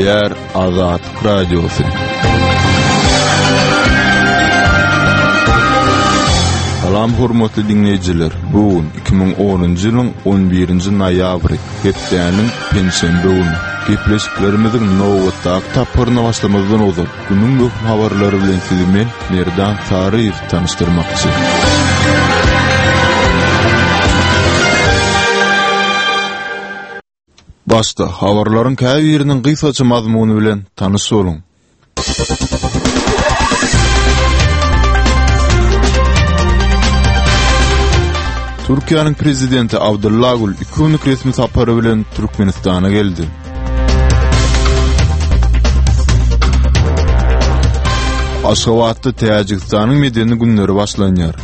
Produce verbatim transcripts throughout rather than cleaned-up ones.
Gepleýär Azatlyk Radiosy. Salam hormatly diňleýjiler. Bu gün iki müň onunjy ýylyň on birinji noýabry, hepdäniň penşenbe güni. Gepleşiklerimiziň nobatdaky tapgyryna başlamazdan ozal, günüň möhüm habarlary bilen sizi men, Merdan Saryýew tanyşdyrmakçy. Başda habarlaryň käbiriniň gysgaça mazmuny bilen tanyş boluň. Türkiýäniň prezidenti Abdylla Gül iki günlük resmi sapary bilen Türkmenistana geldi. Aşgabatda Täjigistanyň medeni günleri başlanýar.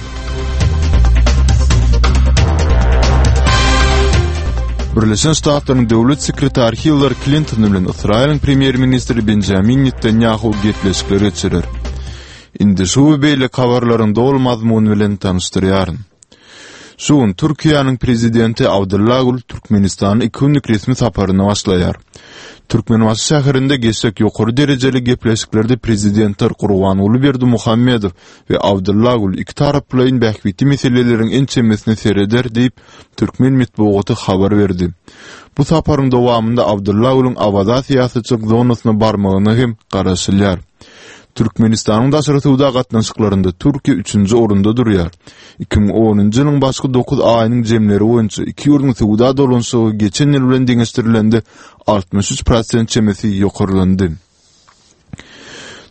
Birleşen Ştatlaryň döwlet sekretary Hillary Klinton bilen Ysraýylyň premýer-ministri Benjamin Netanýahu gepleşikler geçirer. Indi şu we beýleki habarlaryň doly mazmuny bilen tanyşdyrýaryn. Şu gün Türkiýäniň prezidenti Abdylla Gül Türkmenistana iki günlük resmi saparyna başlaýar. Türkmenbaşy şäherinde geçjek ýokary derejeli gepleşiklerde prezidentler Gurbanguly Berdimuhamedow we Abdylla Gül iki taraplaýyn bähbitli meseleleriň ençemesine sereder diýip, türkmen metbugaty habar berdi. Bu saparyň dowamynda Abdylla Gülüň Awaza syýasatçylyk zonasyna barmagyna hem garaşylýar. Türkmenistanyň daşary söwda gatnaşyklarynda Türkiýe üçünji orunda durýar. Iki müň onunjy ýylyň başky dokuz aýynyň jemleri boýunça iki ýurduň söwda dolanyşygy geçen ýyl bilen deňeşdirilende altmyş üç prosent çemesi ýokarlandy.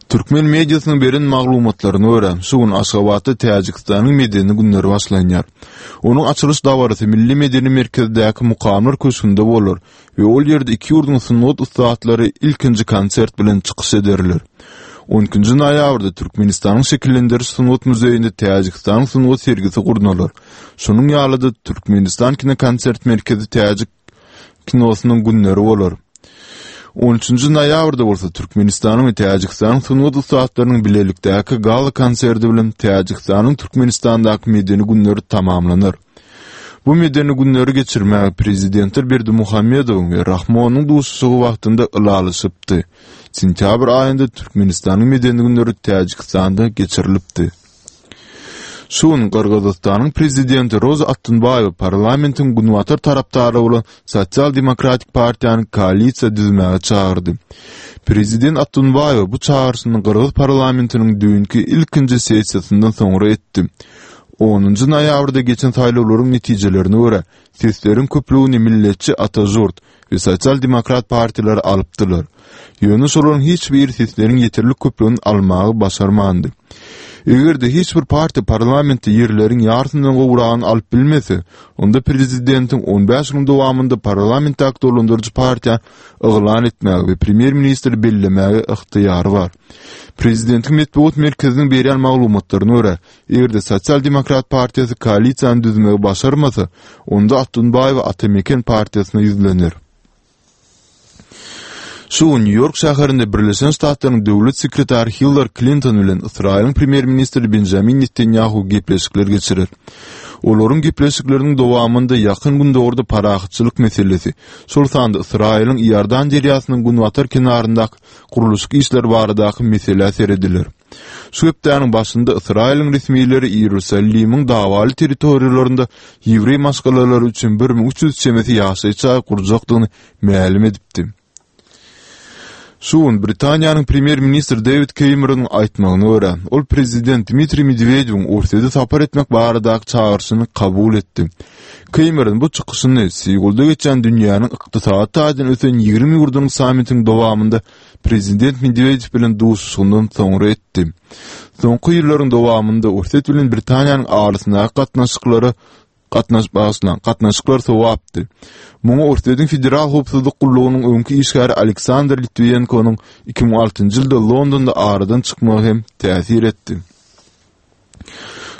Türkmen mediasynyň beren maglumatlaryna görä, şu gün Aşgabatda Täjigistanyň medeni günleri başlanýar. Onuň açylyş dabarasy Milli medeni merkezdäki Mukamlar köşgünde bolar we ol ýerde iki ýurduň sungat ussatlary ilkinji konsert bilen çykyş ederler. On ikinji noýabrda Türkmenistanyň Şekillendiriş sungat muzeýinde Täjigistanyň sungat sergisi gurnalar. Şonuň ýaly-da Türkmenistan kinokonsert merkezi täjik kinosynyň günleri bolar. On üçünji noýabrda bolsa Türkmenistanyň we Täjigistanyň sungat ussatlarynyň bilelikdäki gala konserti bilen Täjigistanyň Türkmenistandaky medeni günleri tamamlanar. Bu medeni günleri geçirmäge prezidentler Berdimuhamedowyň we Rahmonyň duşuşygy wagtynda ylalaşypdy. Sentýabr aýynda Türkmenistanyň medeni günleri Täjigistanda geçirilipdi. Şu gün Gyrgyzystanyň prezidenti Roza Ottunbaýewa parlamentiň günbatar tarapdary bolan Sosial-demokratik partiýany koalisiýa düzmäge çagyrdy. Prezident Ottunbaýewa bu çagyryşyny gyrgyz parlamentiniň düýnki ilkinji sessiýasyndan soňra etdi. Onunjy noýabrda geçen saýlawlaryň netijelerine görä, sesleriň köplügini milletçi Ata-Žurt we Sosial-demokrat partiýalary alypdylar. Ýöne şolaryň hiç biri sesleriň ýeterlik köplügini almagy başarmandy. Eger-de hiç bir partiýa parlamentde ýerleriň ýarysyndan gowragyny alyp bilmese, onda prezidentiň on bäş günüň dowamynda parlamentdäki dolandyryjy partiýany yglan etmäge we premýer-ministri bellemäge ygtyýary bar. Prezidentiň metbugat merkeziniň berýän maglumatlaryna görä, eger-de Sosial-demokrat partiýasy koalisiýany düzmegi başarmasa, onda Ottunbaýewa Ata-Meken partiýasyna ýüzlener. Şu gün Nýu-Ýork şäherinde Birleşen Ştatlaryň döwlet sekretary Hillary Klinton bilen Ysraýylyň premýer-ministri Benjamin Netanýahu gepleşikler geçirer. Olaryň gepleşikleriniň dowamynda Ýakyn Gündogarda parahatçylyk meselesi, şol sanda Ysraýylyň Iordan derýasynyň günbatar kenaryndaky gurluşyk işleri baradaky meselä serediler. Şu hepdäniň başynda Ysraýylyň resmileri Iýerusalimiň dawaly territoriýalarynda ýewreý maşgalalary üçin bir müň üç ýüz çemesi ýaşaýyş jaýy gurjakdygyny mälim edipdi. Şu gün Britaniýanyň premýer-ministri Dewid Kemeronyň aýtmagyna görä, ol prezident Dmitriý Medwedewiň Orsýete sapar etmek baradaky çagyryşyny kabul etdi. Kemeron bu çykyşyny Seulda geçýän dünýäniň ykdysady taýdan ösen ýigrimi ýurdunyň sammitiniň dowamynda prezident Medwedew bilen duşuşygyndan soňra etdi. Soňky ýyllaryň dowamynda Orsýet bilen Britaniýanyň arasyndaky gatnaşyklara gatnaş-, bagyşlaň, gatnaşyklar sowapdy. Muňa Orsýetiň Federal howpsuzlyk gullugynyň öňki işgäri Aleksandr Litwinenkonyň iki müň altynjy ýylda Londonda aradan çykmagy hem täsir etdi.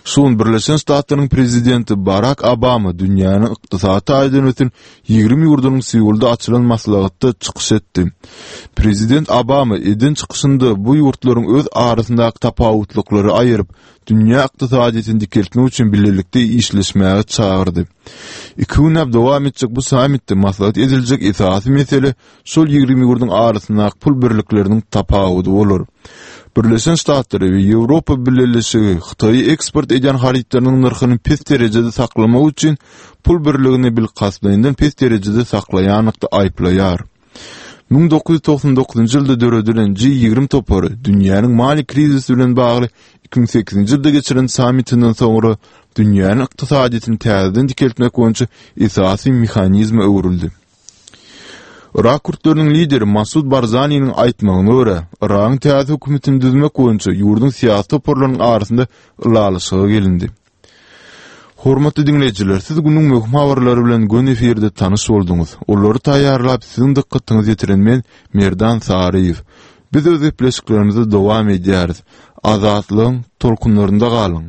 Şu gün Birleşen Ştatlaryň prezidenti Barak Obama dünýäniň ykdysady taýdan ösen ýigrimi ýurdunyň Seulda açylan maslahatda çykyş etdi. Prezident Obama eden çykyşynda bu ýurtlaryň öz arasyndaky tapawutlyklary aýyryp, dünýä ykdysadyýetini dikeltmek üçin bilelikde işleşmäge çagyrdy. Iki günläp dowam etjek bu sammitde maslahat ediljek esasy mesele şol ýigrimi ýurduň arasyndaky pul birlikleriniň tapawudy bolar. Birleşen Ştatlary we Ýewropa Bileleşigi Hytaýy eksport edýän harytlarynyň nyrhyny pes derejede saklamak üçin pul birligini bilkastlaýyndan pes derejede saklaýanlykda aýyplaýar. Müň dokuz ýüz togsan dokuzynjy ýylda döredilen G ýigrimi topary dünýäniň maliýe krizisi bilen bagly iki müň sekizinji ýylda geçiren sammitinden soňra dünýäniň ykdysadyýetini täzeden dikeltmek boýunça esasy mehanizme öwrüldi. Yrak kürtleriniň lideri Masud Barzaniniň aýtmagyna görä, Yragyň täze hökümetini düzmek boýunça ýurduň syýasy toparlarynyň arasynda ylalaşyga gelindi. Hormatly diňleýjiler, siz günüň möhüm habarlary bilen göni efirde tanyş bolduňyz. Olary taýýarlap, siziň dykgatyňyza ýetiren men, Merdan Saryýew. Biz öz gepleşiklerimizi dowam edýäris. Azatlygyň tolkunlarynda galyň!